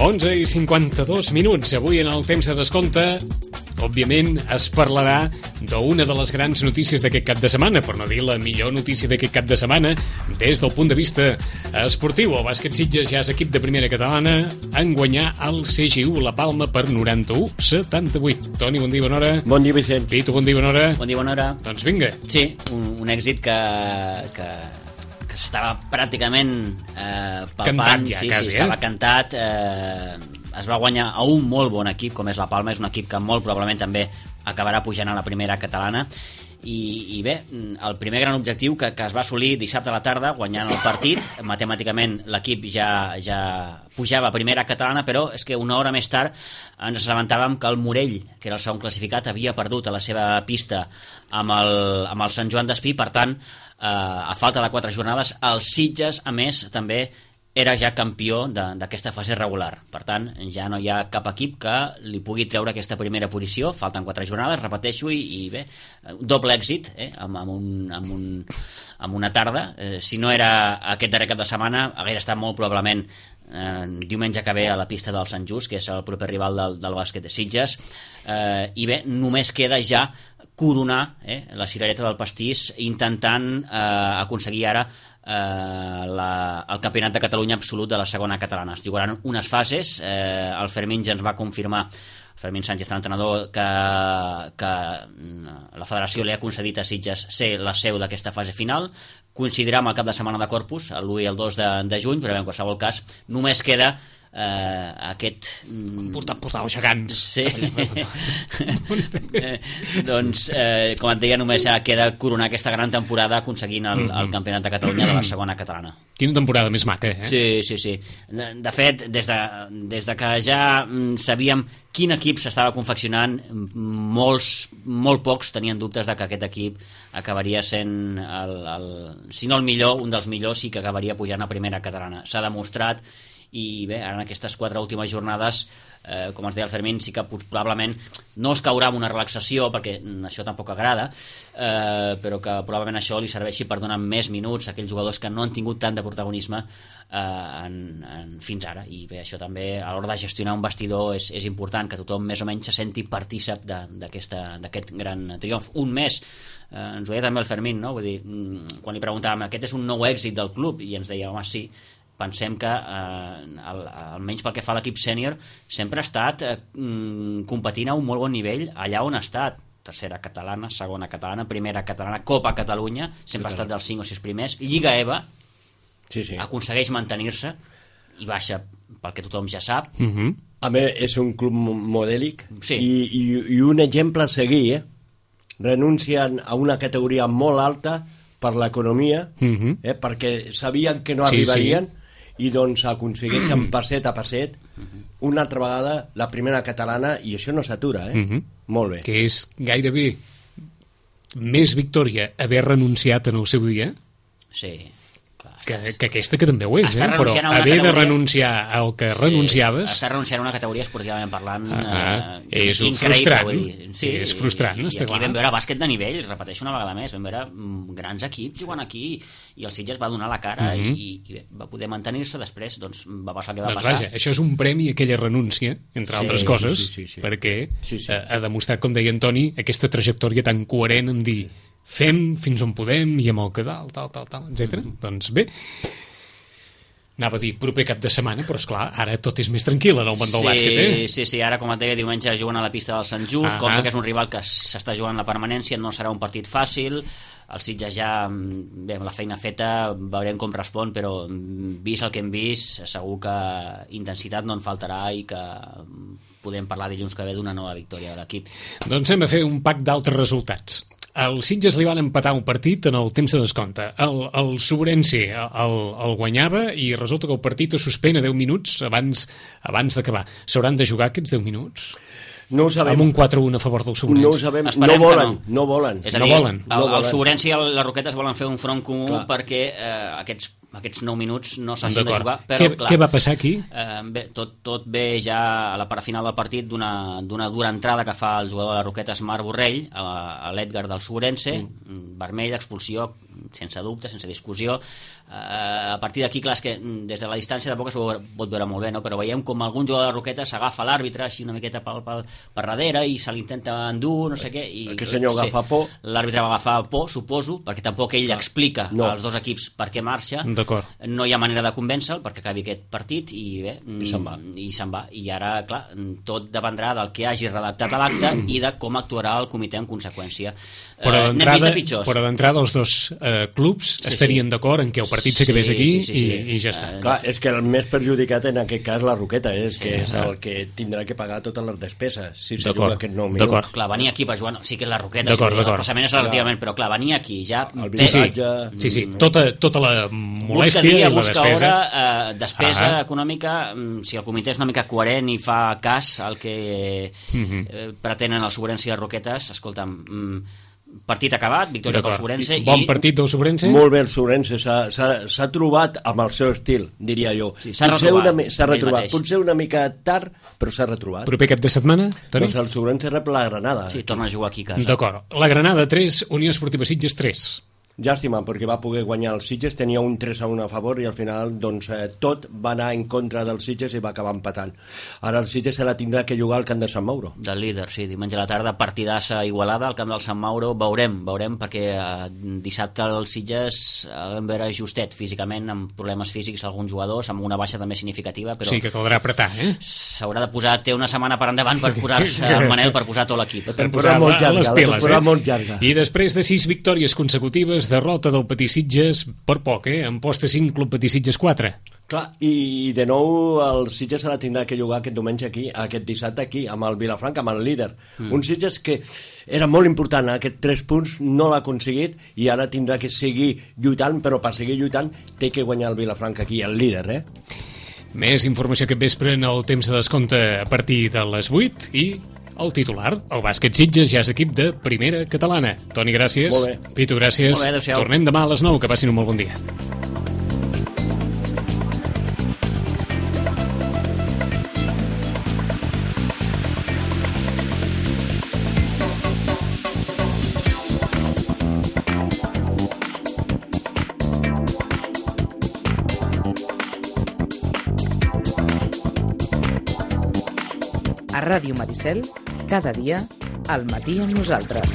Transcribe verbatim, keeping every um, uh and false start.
onze i cinquanta-dos minuts. Avui en el temps de descompte, òbviament, es parlarà d'una de les grans notícies d'aquest cap de setmana, per no dir la millor notícia d'aquest cap de setmana, des del punt de vista esportiu. El Bàsquet Sitges ja és equip de primera catalana en guanyar el C G U La Palma per noranta-u a setanta-vuit. Toni, bon dia, bona hora. Bon dia, Vicent. Pitu, bon dia, bona hora. Bon dia, bona hora. Doncs vinga. Sí, un, un èxit que, que, que estava pràcticament eh, palpant. Cantat ja, sí, quasi, sí, eh? estava cantat. Eh, es va guanyar a un molt bon equip, com és la Palma. És un equip que molt probablement també acabarà pujant a la primera catalana. I, i bé, el primer gran objectiu que, que es va assolir dissabte a la tarda guanyant el partit, matemàticament l'equip ja, ja pujava a primera catalana, però és que una hora més tard ens assabentàvem que el Morell, que era el segon classificat, havia perdut a la seva pista amb el, amb el Sant Joan d'Espí. Per tant, eh, a falta de quatre jornades, el Sitges, a més, també era ja campió d'aquesta fase regular. Per tant, ja no hi ha cap equip que li pugui treure aquesta primera posició. Falten quatre jornades, repeteixo, i, i bé, doble èxit, eh, amb, amb, un, amb, un, amb una tarda. Eh, si no era aquest darrer cap de setmana, hauria estat molt probablement eh, diumenge que ve a la pista del Sant Just, que és el proper rival del, del bàsquet de Sitges. Eh, I bé, només queda ja coronar eh, la cirereta del pastís, intentant eh, aconseguir ara Eh, la, el campionat de Catalunya absolut de la segona catalana. Es jugaran unes fases. eh, el Fermín ja ens va confirmar, Fermín Sánchez, l'entrenador, que, que la federació li ha concedit a Sitges ser la seu d'aquesta fase final. Coincidirà amb el cap de setmana de Corpus, l'u i el dos de, de juny, però en qualsevol cas només queda eh, aquest... Portar, portar els gegants. Sí. eh, doncs, eh, com et deia, només queda coronar aquesta gran temporada aconseguint el, el campionat de Catalunya de la segona catalana. Quina temporada més maca, eh? Sí, sí, sí. De, de fet, des de, des de que ja mm, sabíem quin equip s'estava confeccionant, molts, molt pocs tenien dubtes de que aquest equip acabaria sent, el, el, si no el millor, un dels millors, i que acabaria pujant a primera catalana. S'ha demostrat. I bé, ara en aquestes quatre últimes jornades, eh, com ens deia el Fermín, sí que probablement no es caurà amb una relaxació, perquè això tampoc agrada, eh, però que probablement això li serveixi per donar més minuts a aquells jugadors que no han tingut tant de protagonisme eh, en, en, fins ara. I bé, això també a l'hora de gestionar un vestidor és, és important, que tothom més o menys se senti partícip d'aquest gran triomf. Un més, eh, ens ho deia també el Fermín, no? Vull dir, quan li preguntàvem, aquest és un nou èxit del club, i ens deia, home, sí. Pensem que, eh, al, almenys pel que fa a l'equip sènior, sempre ha estat eh, competint a un molt bon nivell allà on ha estat. Tercera catalana, segona catalana, primera catalana, Copa Catalunya, sempre ha estat dels cinc o sis primers. Lliga EVA, sí, sí. Aconsegueix mantenir-se i baixa pel que tothom ja sap. Uh -huh. A més, és un club modèlic, sí. i, i, i un exemple a seguir, eh? Renuncien a una categoria molt alta per l'economia, uh -huh. eh? Perquè sabien que no sí, arribarien, sí. I doncs aconsegueixen passet a passet una altra vegada la primera catalana, i això no s'atura, eh? Uh-huh. Molt bé. Que és gairebé més victòria haver renunciat en el seu dia Sí, clar. que, que aquesta, que també ho és, eh? Però haver categoria... de renunciar al que sí, renunciaves... Estàs renunciant a una categoria esportivament parlant uh -huh. eh, és increïble, frustrant. dir. Sí, és frustrant, i, i està aquí clar. vam veure bàsquet de nivell, repeteixo una vegada més, vam veure mm, grans equips jugant aquí, i el Sitges va donar la cara, uh -huh. i, i bé, va poder mantenir-se. Després doncs, va passar el que va doncs passar. vaja, això és un premi a aquella renúncia, entre sí, altres sí, coses, sí, sí, sí. perquè sí, sí. Eh, ha demostrat, com deia Antoni, aquesta trajectòria tan coherent en dir fem fins on podem i amb el que dalt, tal, tal, tal, etcètera. Mm-hmm. Doncs bé, anava a dir proper cap de setmana, però esclar, ara tot és més tranquil en el món del sí, bàsquet, eh? Sí, sí, ara com et deia, diumenge juguen a la pista del Sant Just, cosa que és un rival que s'està jugant la permanència, no serà un partit fàcil. El Sitges ja, bé, amb la feina feta, veurem com respon, però vist el que hem vist, segur que intensitat no en faltarà i que podem parlar dilluns que ve d'una nova victòria de l'equip. Doncs hem de fer un pack d'altres resultats. El Sitges li van empatar un partit en el temps de descompte. El, el Sobrense el, el guanyava i resulta que el partit es suspèn a deu minuts abans, abans d'acabar. S'hauran de jugar aquests deu minuts? No ho sabem. Amb un quatre a un a favor del Sobrense. No ho sabem, Esperem no volen, no. no volen. És a no dir, volen. el, No el volen. Sobrense i el, les Roquetes volen fer un front comú. Clar. Perquè eh, aquests aquests nou minuts no s'hagin de jugar, però què, clar, què va passar aquí? Eh, bé, tot, tot ve ja a la part final del partit d'una dura entrada que fa el jugador de les Roquetes, Marc Borrell, a, a l'Edgar del Sobrense, mm. vermell, expulsió sense dubte, sense discussió. Uh, a partir d'aquí, clar, és que des de la distància tampoc es pot veure molt bé, no? Però veiem com algun jugador de Roquetes s'agafa l'àrbitre així una miqueta per, per, per darrere i se l'intenta endur, no sé què. I, aquest senyor agafa sí, por. L'àrbitre va agafar por, suposo, perquè tampoc ell explica no. als dos equips per què marxa. No hi ha manera de convèncer-lo perquè acabi aquest partit i bé, i se'n va. I se'n va. I ara, clar, tot dependrà del que hagi redactat a l'acte i de com actuarà el comitè en conseqüència. Però eh, d'entrada els dos eh, clubs sí, estarien sí. d'acord en que el partit s'acabés sí, aquí sí, sí, sí. I, i ja està. Uh, Clar, és que el més perjudicat en aquest cas la Roqueta és sí, que és el que tindrà que pagar totes les despeses si se juga aquest nou minut. Clar, venir aquí per jugar, sí que és la Roqueta, sí, el passament és relativament, però clar, venir aquí ja... El viatge... Sí, sí, tota, tota la molèstia dia, i la despesa. Busca hora, eh, despesa ah. econòmica, si el comitè és una mica coherent i fa cas al que uh-huh. eh, pretenen els Sobrense i les Roquetes, escolta'm... Mm, partit acabat, victòria pel Sobrense i... Bon partit del Sobrense? Molt bé el Sobrense, s'ha trobat amb el seu estil, diria jo. Sí, s'ha retrobat. S'ha retrobat, potser una mica tard, però s'ha retrobat. Proper cap de setmana, Toni? Doncs el Sobrense rep la Granada. Sí, torna a jugar aquí a casa. D'acord. La Granada tres, Unió Esportiva Sitges tres. Llàstima, perquè va poder guanyar el Sitges, tenia un tres a un a favor i al final doncs, eh, tot va anar en contra del Sitges i va acabar empatant. Ara el Sitges se la tindrà que jugar al camp de Sant Mauro. Del líder, sí, diumenge a la tarda, partidassa Igualada al camp del Sant Mauro, veurem, veurem perquè eh, dissabte el Sitges el vam veure justet físicament, amb problemes físics alguns jugadors, amb una baixa també significativa, però... Sí, que caldrà apretar, eh? S'haurà de posar, té una setmana per endavant per posar-se el Manel per posar tot l'equip. Per posar molt llarga, les piles, eh? Molt llarga. I després de sis victòries consecutives, derrota del Petit Sitges per poc, eh? En posta cinc, Club Petit Sitges quatre. Clar, i de nou el Sitges se la tindrà que jugar aquest diumenge aquí, aquest dissabte aquí, amb el Vilafranca, amb el líder. Mm. Un Sitges que era molt important, aquest tres punts no l'ha aconseguit i ara tindrà que seguir lluitant, però per seguir lluitant té que guanyar el Vilafranca aquí, el líder, eh? Més informació aquest vespre en el temps de descompte a partir de les vuit i... el titular, el bàsquet Sitges ja és equip de primera catalana. Toni, gràcies. Molt bé. Pitu, gràcies. Molt bé, adéu-siau. Tornem demà a les nou, que passin un molt bon dia. A Ràdio Maricel, cada dia, al matí amb nosaltres.